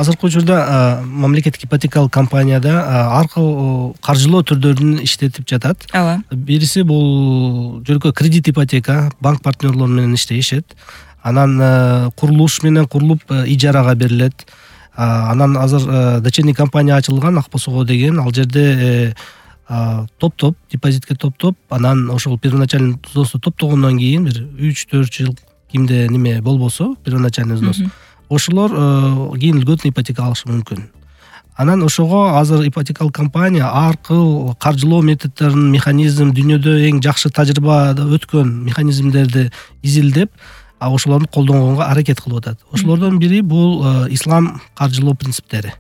Азыркы учурда мамлекеттик ипотекалык компанияда ар кыл каржылоо түрдөрүн иштетип жатат. Ооба. Бириси бул жөнөкөй кредит ипотека, банк партнерлору менен иштешет. Анан курулуш менен курулуп ижарага берилет. Анан азыр дочерний компания ачылган Акбосого деген, ал жерде топ депозитке топ, анан ошол первоначальный взносу топтогондон кийин бир 3-4 жыл кимде неме болбосо, первоначальный взнос, ошолор кийин льготный ипотека алышы мүмкүн. Анан ошого азыр ипотекалык компания ар кыл каржылоо методдорун, механизм, дүйнөдө эң жакшы тажрыйбада өткөн механизмдерди изилдеп, ошолорду колдонгонго аракет кылып атат. Ошолордон бири бул ислам каржылоо принциптери.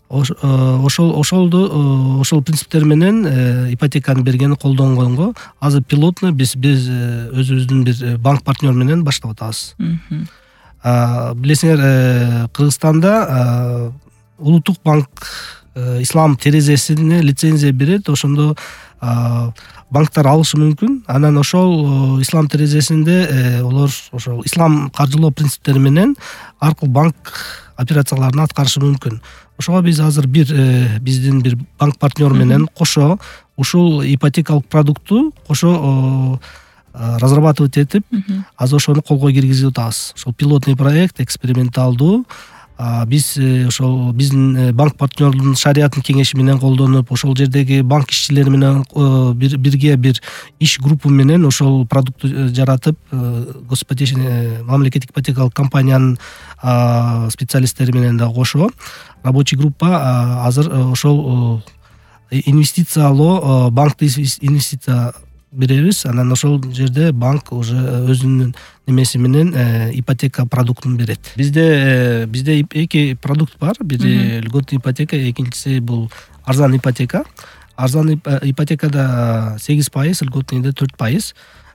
Ошол принциптер менен ипотеканы бергени колдонгонго азыр пилотный биз өзүбүздүн бир банк партнер менен баштап атабыз. Билесиңер, Кыргызстанда улуттук банк ислам терезесине лицензия берет, ошондо банктар алышы мүмкүн. Анан ошол ислам терезесинде олар ошол ислам каржылоо принциптери менен ар кыл банк операцияларын аткарышы мүмкүн. Ошого биз азыр биздин бир банк партнер менен кошо ушул ипотекалык продукту кошо разрабатывать этип, азыр ошону колго киргизип атабыз. Ошол пилотный проект, эксперименталдуу. Биз ошол биздин банк партнердун шариаттын кеңеши менен колдонуп, ошол жердеги банк ишчилери менен бирге бир иш группа менен ошол продукту жаратып, мамлекеттик ипотекалык компаниянын специалисттери менен да кошо рабочий группа азыр ошол инвестициялоо, банкты инвестиция беребиз. Анан ошол жерде банк уже өзүнүн немеси менен ипотека продуктун берет. Бизде эки продукт бар. Бири льготный ипотека, экинчиси бул арзан ипотека. Арзан ипотекада 8%, льготныйда 4%.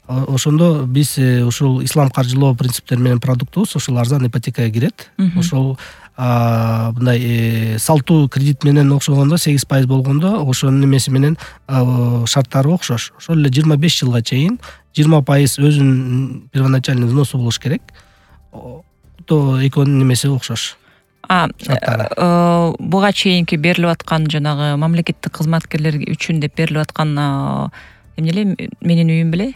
Ошондо биз ошол ислам каржылоо принциптери менен продуктубуз ошол арзан ипотекага кирет. Ошол мындай салтуу кредит менен окшогондо 8% болгондо ошонун немеси менен шарттары окшош. Ошол эле 25 жылга чейин 20% өзүнүн первоначальный взносу болуш керек. То экөөнүн немеси окшош. Буга чейинки берилип аткан жанагы мамлекеттик кызматкерлер үчүн деп берилип аткан эмне эле менин үйүм беле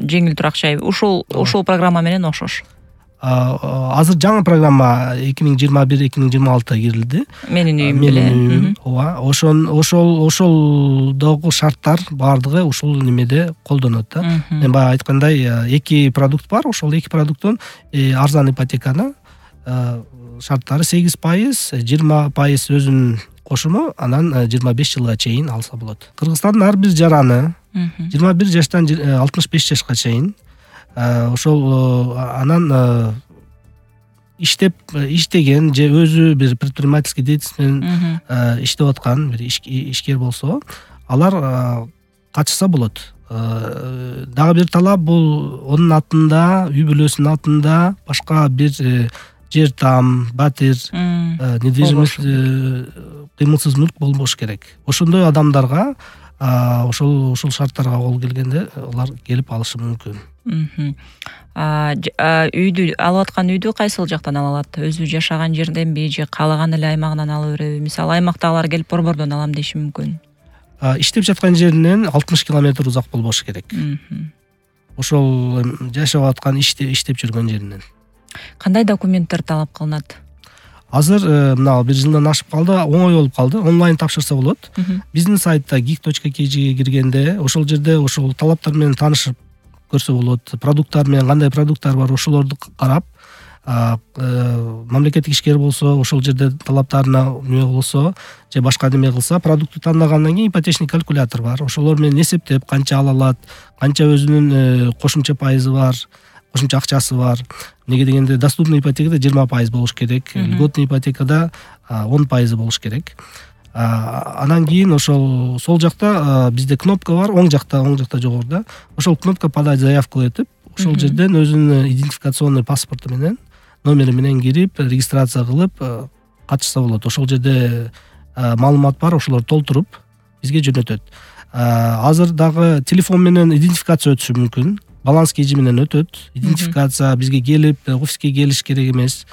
жеңил турак жай ошол программа менен окшош. Азыр жаңы программа 2021-2026 кирилди. Менин үйүм беле. Ооба, ошолдогу шарттар баардыгы ушул немеде колдонот да. Мен баягы айткандай, эки продукт бар. Ошол эки продукттун арзан ипотеканы шарттары 8%, 20% өзүнүн кошуму, анан 25 жылга чейин алса болот. Кыргызстандын ар бир жараны 21 жаштан 65 жашка чейин ошол анан иштеген же өзү бир предпринимательский деятельность менен иштеп аткан бир ишкер болсо, алар катышса болот. Дагы бир талап бул онун атында, үй бүлөсүнүн атында башка бир жер там, батир, недвижимость, кыймылсыз мүлк болбош керек. Ошондой адамдарга ошол шарттарга кол келгенде алар келип алышы мүмкүн. Үйдү алып аткан үйдү кайсыл жактан ала алат? Өзү жашаган жерденби же каалаган эле аймагынан ала береби? Мисалы аймактагылар келип борбордон алам деши мүмкүн. Иштеп жаткан жеринен 60 километр узак болбош керек. Ошол жашап аткан иштеп жүргөн жеринен. Кандай документтер талап кылынат? Азыр мына 1 жылдан ашып калды, оңой болуп калды. Онлайн тапшырса болот. Биздин сайтта geek.kg'ге киргенде ошол жерде ошол талаптар менен таанышып көрсө болот. Продукттар менен кандай продукттар бар, ошолорду карап, мамлекеттик ишкер болсо, ошол жерде талаптарына неме болсо, же башка неме кылса, продукту тандагандан кийин ипотечный калькулятор бар. Ошолор менен эсептеп, канча ала алат, канча өзүнүн кошумча пайызы бар, кошумча акчасы бар. Неге дегенде доступный ипотекада 20% болуш керек, льготный ипотекада 10% болуш керек. Анан кийин ошол сол жакта бизде кнопка бар, оң жакта жогоруда. Ошол кнопка подать заявку этип, ошол жерден өзүнүн идентификационный паспорту менен, номери менен кирип, регистрация кылып катышса болот. Ошол жерде маалымат бар, ошолорду толтуруп бизге жөнөтөт. Азыр дагы телефон менен идентификация өтүшү мүмкүн. Баланс кежи менен өтөт. Идентификация бизге келип, офиске келиш керек эмес.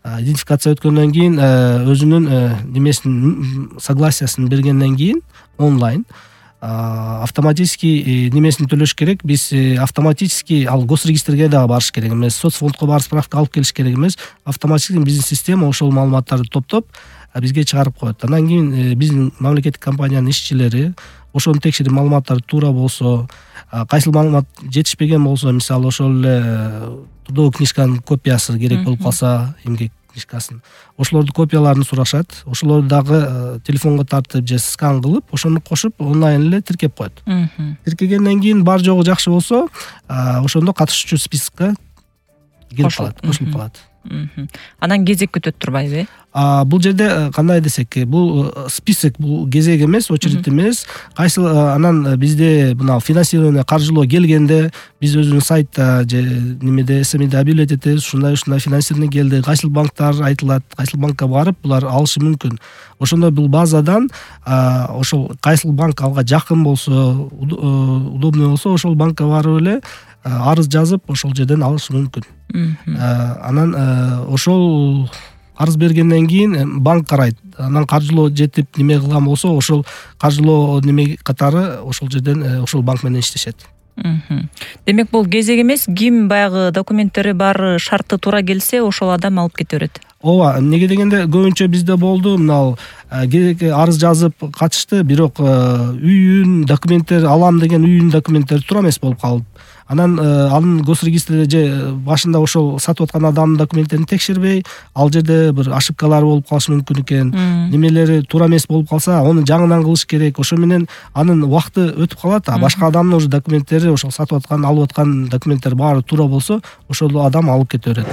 идентификация өткөндөн кийин өзүнүн немесин согласиясын бергенден кийин онлайн автоматически немесин төлөш керек. Биз автоматически ал госрегистрге дагы барыш керек эмес, соцфондко барып справка алып келиш керек эмес. Автоматически биздин система ошол маалыматтарды топтоп бизге чыгарып коет. Андан кийин биздин мамлекеттик компаниянын ишчилери ошону текшерип, маалыматтар туура болсо, кайсыл маалымат жетишпеген болсо, мисалы ошол эле трудовой книжканын копиясы керек болуп калса, эмгек книжкасын, ошолордун копияларын сурашат. Ошолорду дагы телефонго тартып же скан кылып, ошону кошуп онлайн эле тиркеп коет. Тиркегенден кийин бар жогу жакшы болсо, ошондо катышуучу спискке кирип калат, кошулуп калат. Анан кезек күтөт турбайбы? Бул жерде кандай десек, бул список, бул кезек эмес, очередь эмес. Кайсыл анан бизде мына финансирование, каржылоо келгенде биз өзүбүздүн сайтта же немеде СМИде объявлять этебиз, ушундай финансирование келди, кайсыл банктар айтылат, кайсыл банкка барып булар алышы мүмкүн. Ошондо бул базадан ошол кайсыл банк алга жакын болсо, удобный болсо, ошол банкка барып эле арыз жазып, ошол жерден алышы мүмкүн. Анан ошол арыз бергенден кийин банк карайт. Анан каржылоо жетип неме кылган болсо, ошол каржылоо неме катары ошол жерден ошол банк менен иштешет. Демек бул кезек эмес, ким баягы документтери бар, шарты туура келсе, ошол адам алып кете берет. Ооба, эмнеге дегенде көбүнчө бизде болду, мына арыз жазып катышты, бирок үйүн документтери алам деген үйүнүн документтери туура эмес болуп калып. Анан анын госрегистрде же башында ошол сатып аткан адамдын документтерин текшербей, ал жерде бир ошибкалар болуп калышы мүмкүн экен. Немелери туура эмес болуп калса, аны жаңыдан кылыш керек. Ошо менен анын убакыты өтүп калат. Башка адамдын уже документтери, ошол сатып аткан, алып аткан документтери баары туура болсо, ошол адам алып кете берет.